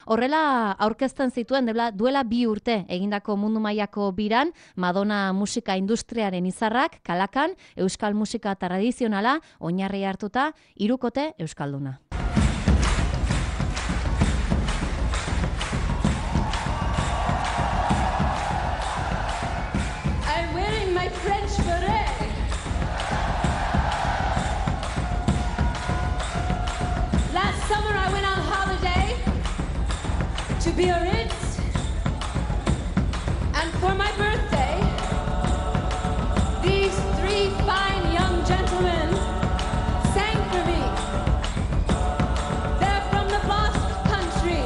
Horrela aurkezten zituen duela 2 urte egindako mundu mailako biran Madonna musika industriaren izarrak Kalakan euskal musika tradizionala oinarri hartuta 3 euskalduna. I'm wearing my French beret. Last summer I went on holiday to Biarritz, and for my birthday, these 3 fine young gentlemen sang for me. They're from the Basque Country.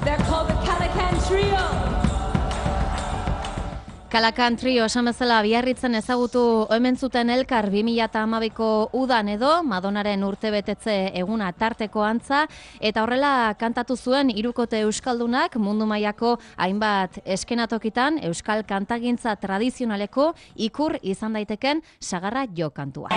They're called the Calacan Trio. Kalakan Trio esan bezala Biarritzen ezagutu hemen zuten elkar 2012ko udan edo Madonaren urtebetetze eguna tarteko antza, eta horrela kantatu zuen 3 euskaldunak mundu mailako hainbat eskenatokitan euskal kantagintza tradizionaleko ikur izan daiteken sagarra jo kantua.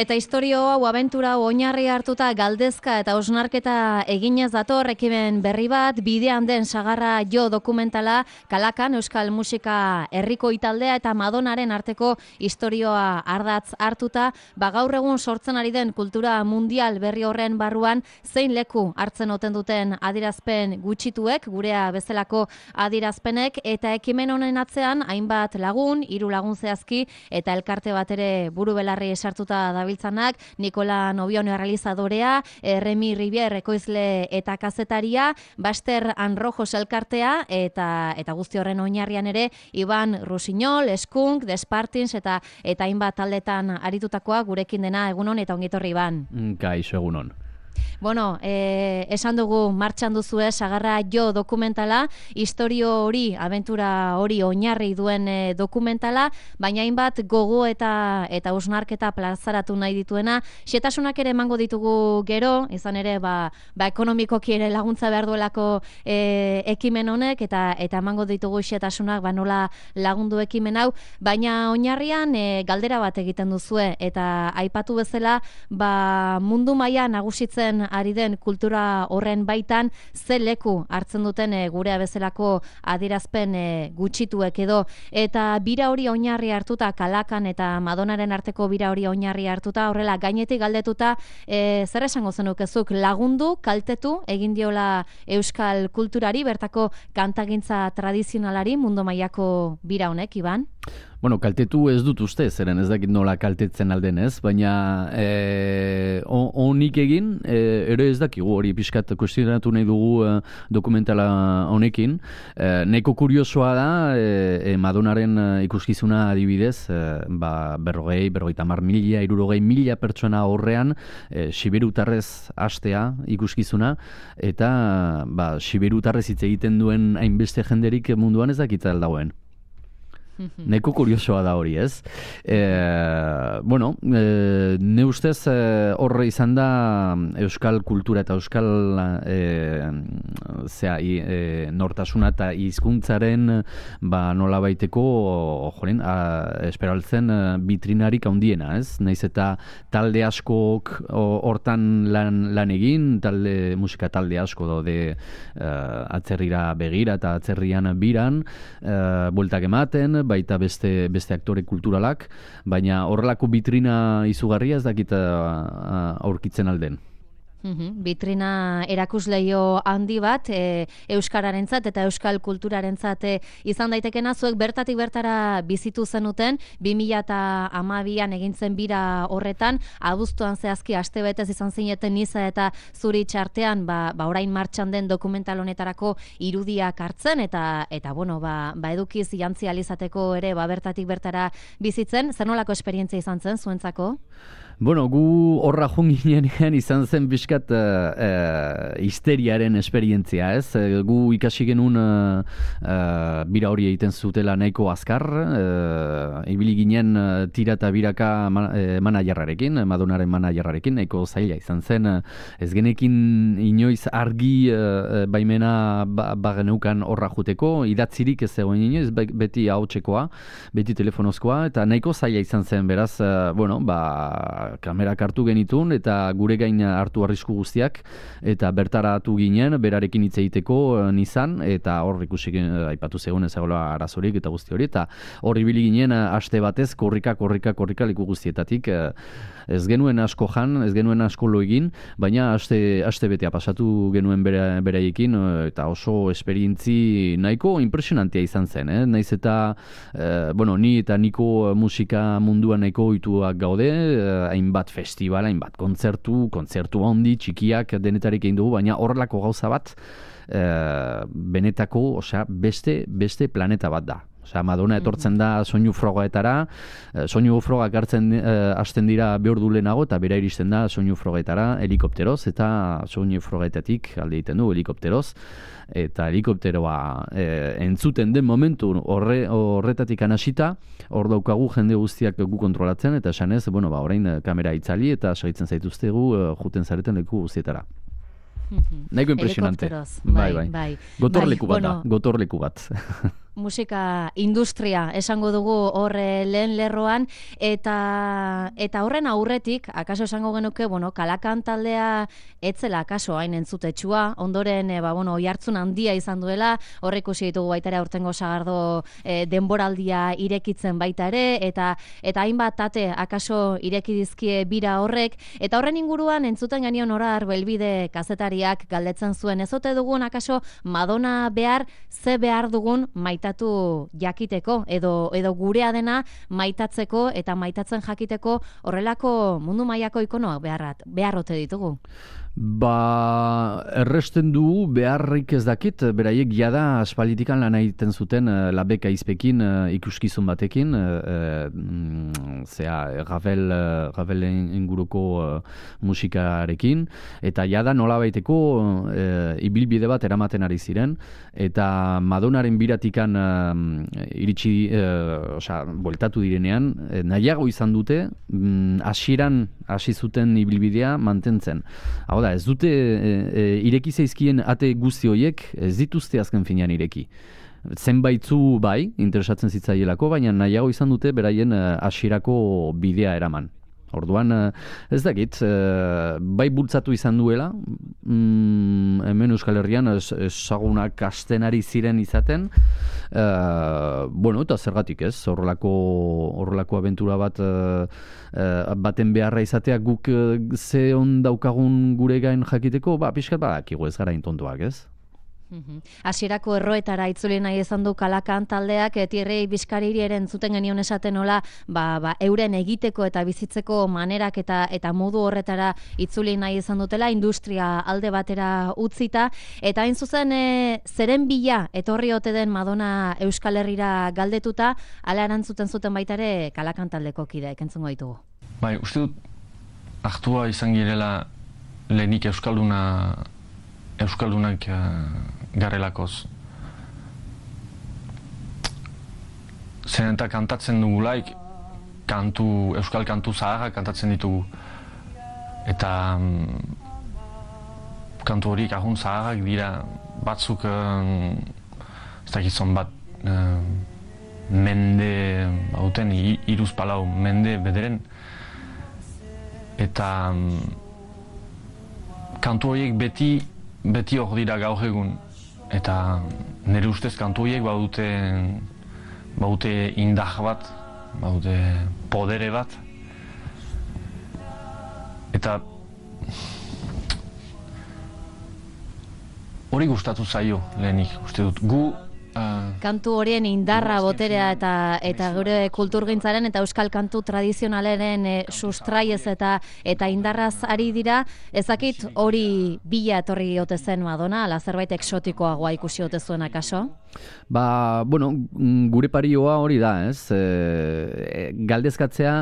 Eta istorio hau, abentura hau oinarri hartuta galdezka eta osnarketa eginez dator ekimen berri bat, bidean den sagarra jo dokumentala Kalakan euskal musika herriko italdea eta Madonaren arteko istorioa ardatz hartuta, gaur egun sortzen ari den kultura mundial berri horren barruan zein leku hartzen oten duten adierazpen gutxituek, gurea bezalako adierazpenek, eta ekimen honen atzean hainbat lagun, 3 lagun zehazki eta elkarte bat ere buru belarri sartuta dabiltzanak, Nikola Nobioneo realizadorea, Remi Rivier ekoizle eta kazetaria, Baster Anrojos elkartea, eta guzti horren oinarrian ere Iban Rusiñol, Skunk, Despartins eta hainbat taldetan aritutakoa gurekin dena. Egunon eta ongitorri, Iban. Kaixo, egunon. Bueno, esan dugu martxan duzue sagarra jo dokumentala, istorio hori, abentura hori oinarri duen dokumentala, baina hainbat gogo eta usnarketa plazaratu nahi dituena. Xetasunak ere emango ditugu gero, izan ere ekonomikoki ere laguntza behar duelako ekimen honek, eta emango ditugu xetasunak nola lagundu ekimen hau, baina oinarrian galdera bat egiten duzue, eta aipatu bezala mundu mailan nagusitzen ari den kultura horren baitan ze leku hartzen duten gurea bezalako adierazpen gutxituek edo, eta bira hori oinarri hartuta, Kalakan eta Madonaren arteko bira hori oinarri hartuta, horrela gainetik galdetuta, zer esango zenukezuk, lagundu, kaltetu egin diola euskal kulturari, bertako kantagintza tradizionalari mundu mailako bira honek, Iban? Bueno, kaltetu ez dut uste, zeren ez dakit nola kaltetzen alden ez, baina honik egin, ere ez dakigu hori pixkat kuestionatu nahi dugu dokumentala honekin. Neko kuriosoa da, Madonaren ikuskizuna adibidez, 50.000, 60.000 pertsona horrean, siberutarrez hastea ikuskizuna, eta siberutarrez hitz egiten duen hainbeste jenderik munduan ez dakitza aldagoen. Neko kuriosoa da hori, ez? Ne ustez horre izan da euskal kultura eta euskal nortasuna eta hizkuntzaren nola baiteko esperaltzen bitrinarik handiena, ez? Naiz eta talde askok hortan lan egin, musika talde asko daude atzerrira begira eta atzerrian biran, bueltak ematen, baita beste aktore kulturalak, baina horrelako bitrina izugarria ez dakit aurkitzen alden. Vitrina erakusleio handi bat, euskararentzat eta euskal kulturarentzat izan daitekena, zuek bertatik bertara bizitu zenuten, 2012an egin zen bira horretan, abuztuan zehazki astebetez izan zineten Niza eta Zurich artean, orain martxan den dokumental honetarako irudiak hartzen, eta bueno, edukiz jantzi alizateko ere, bertatik bertara bizitzen, zer nolako esperientzia izan zen zuentzako? Bueno, gu horra junginean izan zen pixkat histeriaren esperientzia, ez? Gu ikasi genuen bira hori egiten zutela nahiko azkar, ibili ginen tira eta biraka managerrarekin, Madonaren managerrarekin, nahiko zaila izan zen, ez genekin inoiz argi baimena bageneukan horra juteko, idatzirik ez zegoen inoiz, beti ahotsekoa, beti telefonozkoa, eta nahiko zaila izan zen, beraz, bueno, kamerak hartu genitun eta gure gain hartu arrisku guztiak eta bertaratu ginen berarekin hitz egiteko Nizan eta hor ikusi aipatu zegoen ezagola arazorik eta guzti hori eta hor ibili ginen aste batez korrika leku guztietatik ez genuen asko jan, ez genuen asko lo egin, baina aste betea pasatu genuen beraiekin eta oso esperientzi nahiko impresionantea izan zen, naiz eta bueno, ni eta niko musika munduan nahiko ohituak gaude, hainbat festival, hainbat kontzertu handi, txikiak denetarik egin dugu, baina horrelako gauza bat benetako, osea, beste planeta bat da. Osea, Madonna etortzen da soinu frogaetara, soinu frogak hartzen hasten dira behordu lehenago, eta bera iristen da soinu frogaetara helikopteroz, eta soinu frogaetatik alde egiten du helikopteroz, eta helikopteroa entzuten den momentu horretatik anasita, hor daukagu jende guztiak gu kontrolatzen, eta esanez, bueno, orain kamera itzali, eta segitzen zaituztegu juten zareten leku guztietara. Nahiko impresionante. Bai. Gotorleku bat da, gotorleku bat. Musika industria esango dugu hor lehen lerroan eta horren aurretik akaso esango genuke, bueno, Kalakan taldea etzela akaso hain entzutetsua, ondoren oihartzun handia izan duela, hor ikusi ditugu baita ere aurtengo sagardo denboraldia irekitzen baita ere eta hainbat tate akaso ireki dizkie bira horrek eta horren inguruan entzuten genion Orar Belbide kazetariak galdetzen zuen ez ote dugun akaso Madonna ze behar dugun maitatu jakiteko edo gurea dena maitatzeko eta maitatzen jakiteko horrelako mundu mailako ikonoak beharrote ditugu. Erresten du beharrik ez dakit, beraiek jada aspalitikan lan egiten zuten Labeka izpekin ikuskizun batekin, Ravel inguruko musikarekin, eta jada nolabaiteko ibilbide bat eramaten ari ziren, eta Madonaren biratikan iritsi, bueltatu direnean, nahiago izan dute, hasieran hasi zuten ibilbidea mantentzen. Hau da, ez dute ireki zaizkien ate guzti horiek, ez dituzte azken finean ireki. Zenbaitzu bai, interesatzen zitzaielako, baina nahiago izan dute beraien hasierako bidea eraman. Orduan, ez dakit, bai bultzatu izan duela, hemen Euskal Herrian ezagunak hasten ari ziren izaten, bueno, eta zergatik ez, horrelako abentura baten beharra izatea guk ze on daukagun gure gain jakiteko, pixkat badakigu ez gara intontuak ez. Hasierako erroetara itzuli nahi izan du Kalakan taldeak, Tierrei Bizkariri ere entzuten genion esaten nola, euren egiteko eta bizitzeko manerak eta modu horretara itzuli nahi izan dutela, industria alde batera utzita, eta hain zuzen zeren bila etorri ote den Madonna Euskal Herrira galdetuta, ala erantzuten zuten baita ere Kalakan taldeko kideek entzungo ditugu. Bai, uste dut hartua izan girela lehenik euskaldunak garelakoz. Zeren eta kantatzen dugulaik, euskal kantu zaharrak kantatzen ditugu. Eta kantu horiek ahun zaharrak dira batzuk, ez dakizon bat, mende, hauten, iruz palau, mende bederen. Eta kantu horiek beti hor dira gaur egun. Eta nire ustez kantu horiek baute indar bat, baute podere bat. Eta hori gustatu zaio lehenik, uste dut. Gu kantu horien indarra, boterea eta gure kulturgintzaren eta euskal kantu tradizionalaren sustraiez eta indarraz ari dira, ezakit hori bila etorri ote zen Madonna, ala zerbait exotikoagoa ikusi ote zuen akaso? Ba, bueno, gure parioa hori da, ez? Galdezkatzea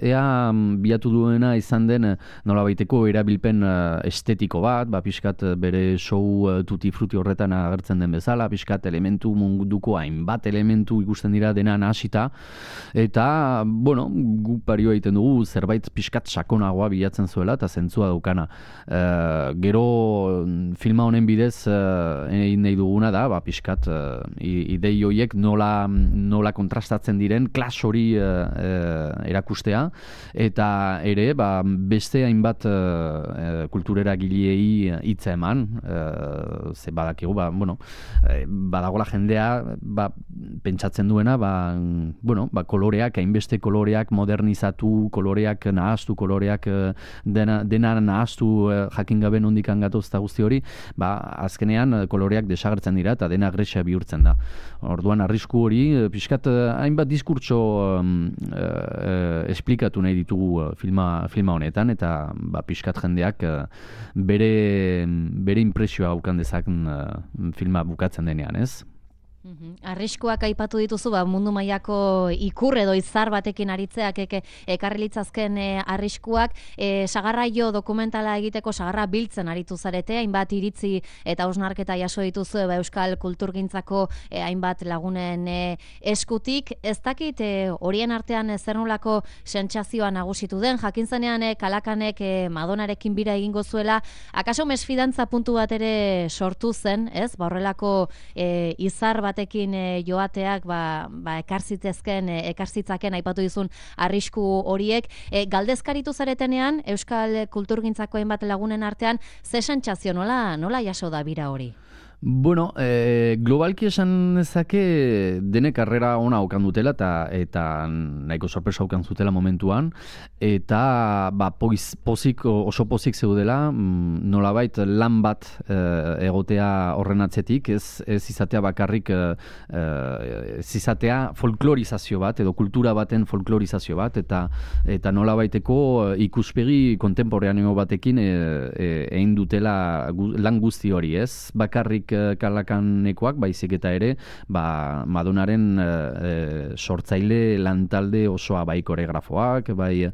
ea bilatu duena izan den nolabaiteko erabilpen estetiko bat, ba, pixkat bere show tutti frutti horretan agertzen den bezala, pixkat elementu munduko hainbat elementu ikusten dira dena nahasita, eta, bueno, gu parioa egiten dugu zerbait pixkat sakonagoa bilatzen zuela eta zentzua daukana. Gero filma honen bidez egin nahi duguna da, ba, pixkat idei horiek nola kontrastatzen diren klas hori erakustea, eta ere ba, beste hainbat kulturera gileei hitza eman, ze badakigu, ba, bueno, badagola jendea ba, pentsatzen duena, ba, bueno, ba, koloreak, hainbeste koloreak modernizatu, koloreak nahaztu, koloreak dena nahaztu jakin gabe nondik gatoz eta guzti hori, ba, azkenean koloreak desagertzen dira eta dena gresia bihurtzen da. Orduan arrisku hori pixkat hainbat diskurtso esplikatu nahi ditugu filma honetan, eta ba, pixkat jendeak bere impresioa aukan dezaken filma bukatzen denean, ez? Arriskuak aipatu dituzu, ba, mundu mailako ikur edo izar batekin aritzeak ekarri litzazken arriskuak, sagarraio dokumentala egiteko sagarra biltzen aritu zarete, hainbat iritzi eta hausnarketa jaso dituzu euskal kulturgintzako hainbat lagunen eskutik. Ez dakit horien artean zer nolako sentsazioa nagusitu den, jakin zenean Kalakanek Madonarekin bira egingo zuela, akaso mesfidantza puntu bat ere sortu zen, ez? Ba, horrelako izar batekin joateak ekarzitzaken aipatu dizun arrisku horiek. Galdezkaritu zaretenean euskal kulturgintzako hainbat lagunen artean, ze sentsazio nola jaso da bira hori? Bueno, globalki esan ezake dene karrera ona okan dutela eta nahiko sorpresa okan zutela momentuan, eta ba, oso pozik zeudela, nolabait lan bat egotea horren atzetik, ez izatea bakarrik ez izatea folklorizazio bat edo kultura baten folklorizazio bat, eta nolabaiteko ikuspegi kontemporaneo batekin egin dutela lan guzti hori, ez? Bakarrik Kalakanekoak, baizik eta ere ba, Madonaren sortzaile lantalde osoa, bai koreografoak, bai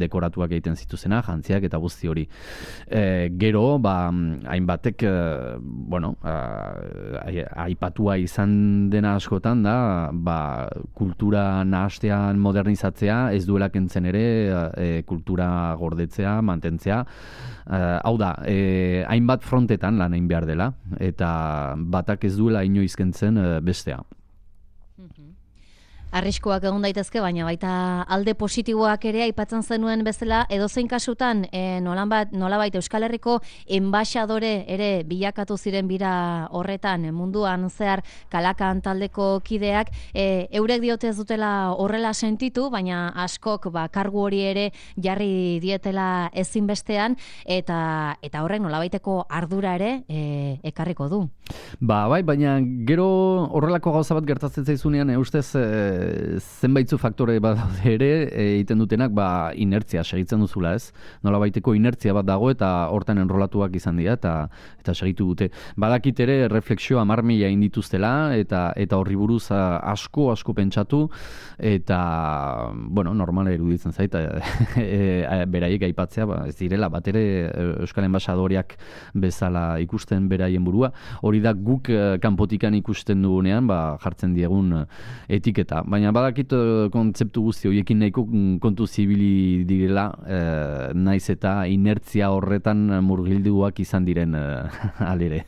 dekoratuak egiten zituzena, jantziak eta guzti hori. Gero, ba, hainbatek bueno, aipatua izan dena askotan da, ba, kultura nahastean modernizatzea, ez duela kentzen ere kultura gordetzea, mantentzea. Hau da, hainbat frontetan lan egin behar dela, eta batak ez duela inoiz kentzen bestea. Arriskuak egon daitezke, baina baita alde positiboak ere aipatzen zenuen bezala, edozein kasutan nolabait Euskal Herriko enbaxadore ere bilakatu ziren bira horretan munduan zehar Kalakan taldeko kideak, eurek diote ez dutela horrela sentitu, baina askok kargu hori ere jarri dietela ezinbestean, eta horrek nolabaiteko ardura ere ekarriko du. Ba, bai, baina gero horrelako gauza bat gertatzen zaizunean, ustez zenbaitzu faktore bat ere egiten dutenak ba, inertzia segitzen duzula, ez? Nolabaiteko inertzia bat dago eta hortan enrolatuak izan dira eta segitu dute. Badakit ere refleksio 10.000 egin dituztela eta horri buruz asko pentsatu, eta bueno, normala iruditzen zait beraiek aipatzea, ba, ez direla bat ere Euskal Enbaxadoreak bezala ikusten beraien burua, hori da guk kanpotikan ikusten dugunean ba, jartzen diegun etiketa. Baina badakit kontzeptu guzti horiekin nahiko kontu zibili direla, naiz eta inertzia horretan murgilduak izan diren alere.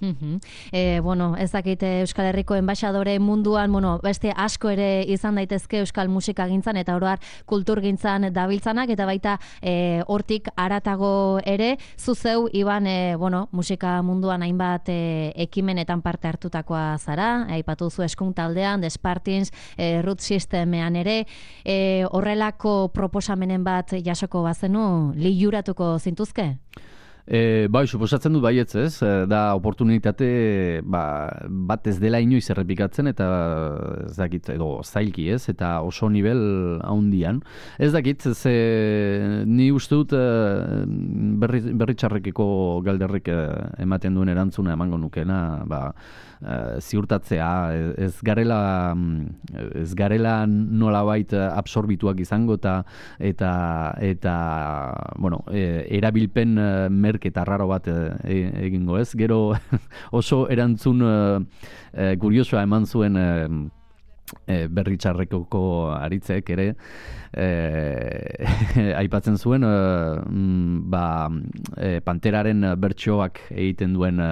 Bueno, ez dakit Euskal Herriko enbaxadore munduan, beste asko ere izan daitezke euskal musikagintzan eta oro har kulturgintzan dabiltzanak, eta baita hortik haratago ere, zuzeu Iban, musika munduan hainbat ekimenetan parte hartutakoa zara, aipatu zu Eskun taldean, The Spartans, Root Systemean ere, horrelako proposamenen bat jasoko bazenu, liluratuko zintuzke? Bai, suposatzen dut baietz ez, da oportunitate bat ez dela inoiz errepikatzen eta ez dakit, edo zailki ez, eta oso nivel handian. Ez dakit, ni uste dut berri txarrekeko galderrik ematen duen erantzuna emango nukena, ziurtatzea, ez garela nolabait absorbituak izango eta bueno, erabilpen merketa raro bat egingo ez. Gero oso erantzun kuriosoa eman zuen berri txarrekoko aritzek ere aipatzen zuen Panteraren bertsoak egiten duen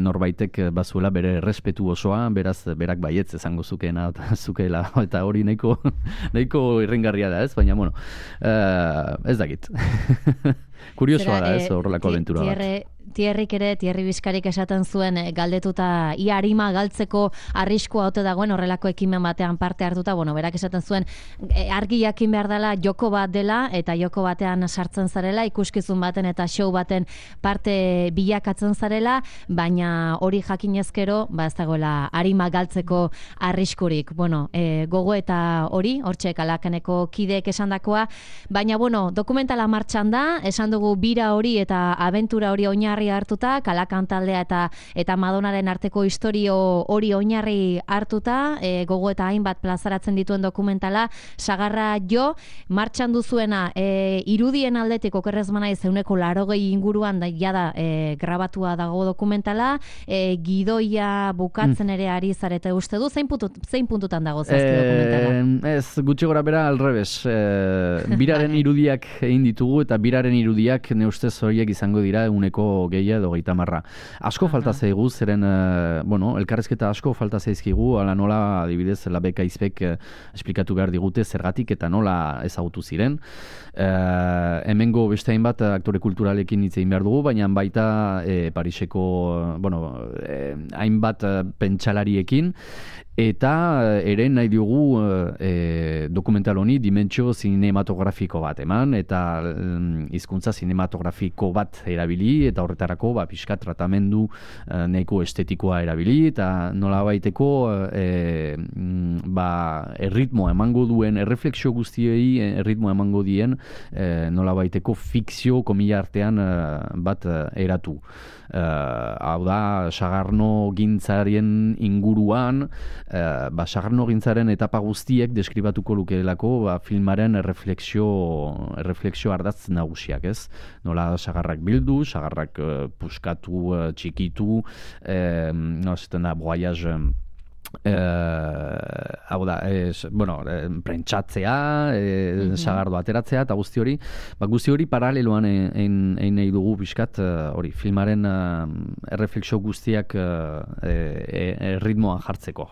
norbaitek bazuela bere errespetu osoa, beraz berak baietz esango zukeena zukeela, eta hori nahiko irringarria da ez, baina bueno, ez dakit. Kuriosoa da ez horrelako abentura bat. Tierri Bizkarik esaten zuen galdetuta ia arima galtzeko arriskua ote dagoen horrelako ekimen batean parte hartuta, bueno, berak esaten zuen argi jakin behar dela joko bat dela eta joko batean sartzen zarela, ikuskizun baten eta show baten parte bilakatzen zarela, baina hori jakinezkero, ez dagoela arima galtzeko arriskurik. Bueno, gogo eta hori, hortxe Kalakaneko kideek esandakoa, baina bueno, dokumentala martxan da, esan dugu bira hori eta abentura hori oinarri hartuta, Kalakan taldea eta Madonaren arteko istorio hori oinarri hartuta, gogo eta hainbat plazaratzen dituen dokumentala, Sagarra jo, martxan duzuena, irudien aldetik okerrez manaiz 180 inguruan jada grabatua dago dokumentala, gidoia bukatzen ere ari zarete uste du, zein puntutan dago zazki dokumentala? Ez, gutxi gora bera alrebes, biraren irudiak egin ditugu eta biraren irudiak ne ustez horiek izango dira 100 edo 30. Asko falta zaigu, zeren, elkarrezketa asko falta zaizkigu, ala nola, adibidez, Labeka Izpek esplikatu behar digute zergatik eta nola ezagutu ziren. Hemengo beste hainbat aktore kulturalekin hitz egin behar dugu, baina baita Pariseko, hainbat pentsalariekin, eta ere nahi diogu dokumental honi dimentsio zinematografiko bat eman, eta hizkuntza zinematografiko bat erabili, eta horretarako pixka tratamendu nahiko estetikoa erabili, eta nolabaiteko erritmoa emango duen, erreflexio guztiei erritmoa emango dien nolabaiteko fikzio komila artean bat eratu. Hau da, sagarno gintzarien inguruan, sagarno gintzaren etapa guztiek deskribatuko lukeelako filmaren refleksio ardatz nagusiak, ez? Nola sagarrak bildu, sagarrak puskatu, txikitu, zaten da, voyage, hau da, prentsatzea, sagardo ateratzea, eta guzti hori paraleloan egin nahi dugu pixkat, filmaren erreflexio guztiak ritmoan jartzeko.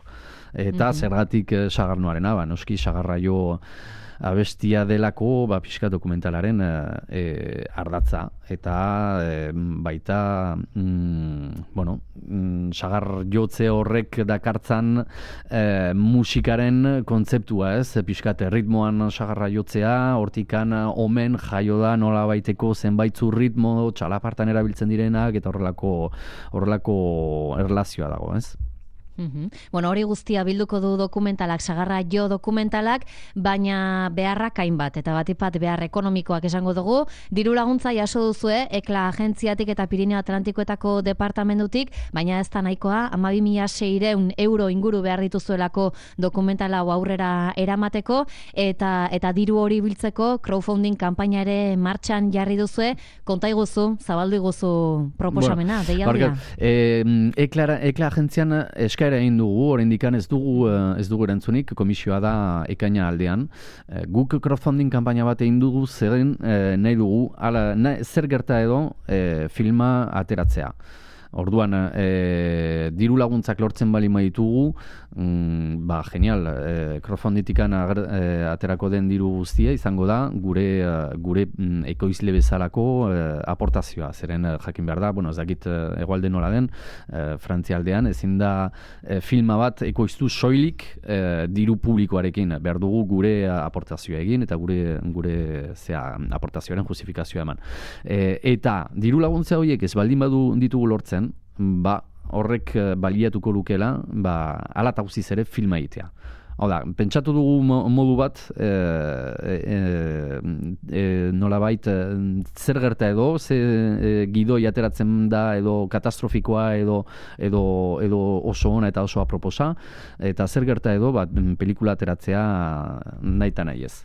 Eta zergatik sagarnoarena, noski sagarra jo abestia delako pixka dokumentalaren ardatza, eta baita sagar jotze horrek dakartzan musikaren kontzeptua, ez? Pixkat ritmoan sagarra jotzea, hortikan omen jaio da nola baiteko zenbaitzu ritmo txalapartan erabiltzen direnak, eta horrelako erlazioa dago, ez? Bueno, hori guztia bilduko du dokumentalak, Sagarra jo dokumentalak, baina beharrak hainbat, eta batipat behar ekonomikoak esango dugu. Diru laguntza jaso duzue, Ekla agentziatik eta Pirineo Atlantikoetako departamentutik, baina ez da nahikoa, 12.600 euro inguru behar dituzuelako dokumentala aurrera eramateko, eta diru hori biltzeko crowdfunding kanpaina ere martxan jarri duzue, konta iguzu, zabaldu iguzu proposamena, deialdia. Ekla agentzian eskaera egin dugu, oraindikan ez dugu erantzunik, komisioa da ekaina aldean. Guk crowdfunding kanpaina bat egin dugu, zeren nahi dugu, zer gerta edo filma ateratzea. Orduan, diru laguntzak lortzen bali maitugu, genial, crowdfunditikan aterako den diru guztia izango da gure ekoizle bezalako aportazioa. Zeren jakin behar da, ez dakit hegoalde nola den, Frantzialdean, ezin da filma bat ekoiztu soilik diru publikoarekin. Behar dugu gure aportazioa egin eta gure aportazioaren justifikazioa eman. Eta diru laguntza horiek ez baldin ditugu lortzen, horrek baliatuko lukela, hala eta guztiz ere filma egitea. Hau da, pentsatu dugu modu bat, nolabait, zer gerta edo, ze gidoi ateratzen da edo katastrofikoa edo oso ona eta oso aproposa, eta zer gerta edo, pelikula ateratzea nahi eta nahi ez.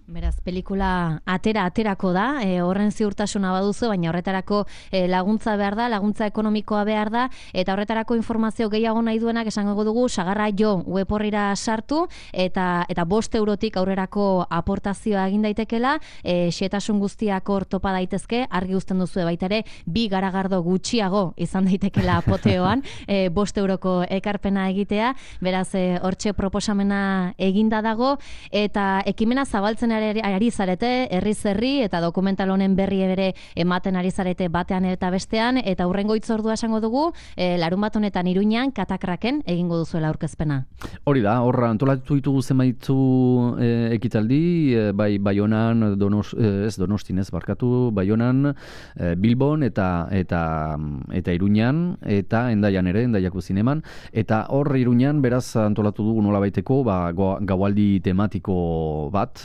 Beraz, pelikula aterako da, horren ziurtasuna baduzu, baina horretarako laguntza behar da, laguntza ekonomikoa behar da, eta horretarako informazio gehiago nahi duenak esango dugu, Sagarra Jo web orrira sartu, eta 5 eurotik aurrerako aportazioa egin daitekela, xehetasun guztiak hor topa daitezke, argi uzten duzu baita ere, 2 garagardo gutxiago izan daitekela apoteoan, 5 euroko ekarpena egitea, beraz, hortxe proposamena eginda dago, eta ekimena zabaltzen ari zarete, herriz herri, eta dokumental honen berri bere ematen ari zarete batean eta bestean, eta hurrengo hitzordua esango dugu, larunbat honetan Iruñan, Katakraken egingo duzuela aurkezpena. Hori da, horra antolatu ditugu zenbaitu ekitaldi, bai Baionan, Donostin ez barkatu, Baionan, Bilbon eta Iruñan, eta Endaian ere, Endaiako zineman, eta hor Iruñan beraz antolatu dugu nolabaiteko gaualdi tematiko bat,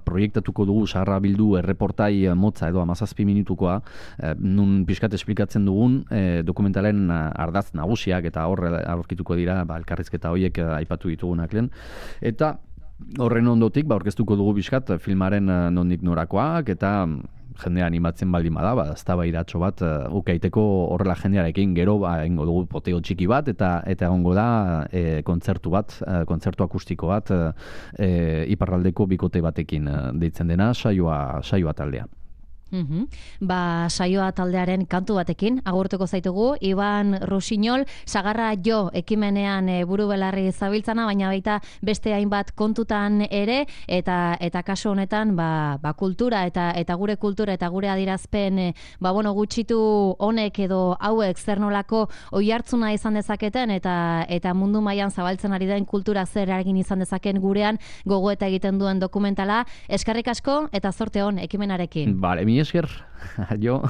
proiektatuko dugu Sagarra bildu erreportai motza edo 17 minutukoa, nun pixkat esplikatzen dugun dokumentalen ardaz nagusiak, eta hor aurkituko dira elkarrizketa horiek aipatu ditugunak lehen, eta horren ondotik aurkeztuko dugu pixkat filmaren nondik norakoak, eta jendea animatzen baldin bada, eztabaidatxo bat ukaiteko horrela jendearekin, gero egingo dugu poteo txiki bat, eta egongo da kontzertu akustiko bat iparraldeko bikote batekin deitzen dena, saioa taldea. Saioa taldearen kantu batekin agurtuko zaitugu, Iban Rusiñol, Sagarra Jo ekimenean buru belarri zabiltzana, baina baita beste hainbat kontutan ere, eta kasu honetan kultura eta gure kultura eta gure adierazpen gutxitu honek edo hauek zer nolako oihartzuna izan dezaketen, eta mundu mailan zabaltzen ari den kultura zer eragin izan dezaken gurean gogoeta egiten duen dokumentala. Eskerrik asko eta zorte on ekimenarekin. Vale, mi esker. Jo.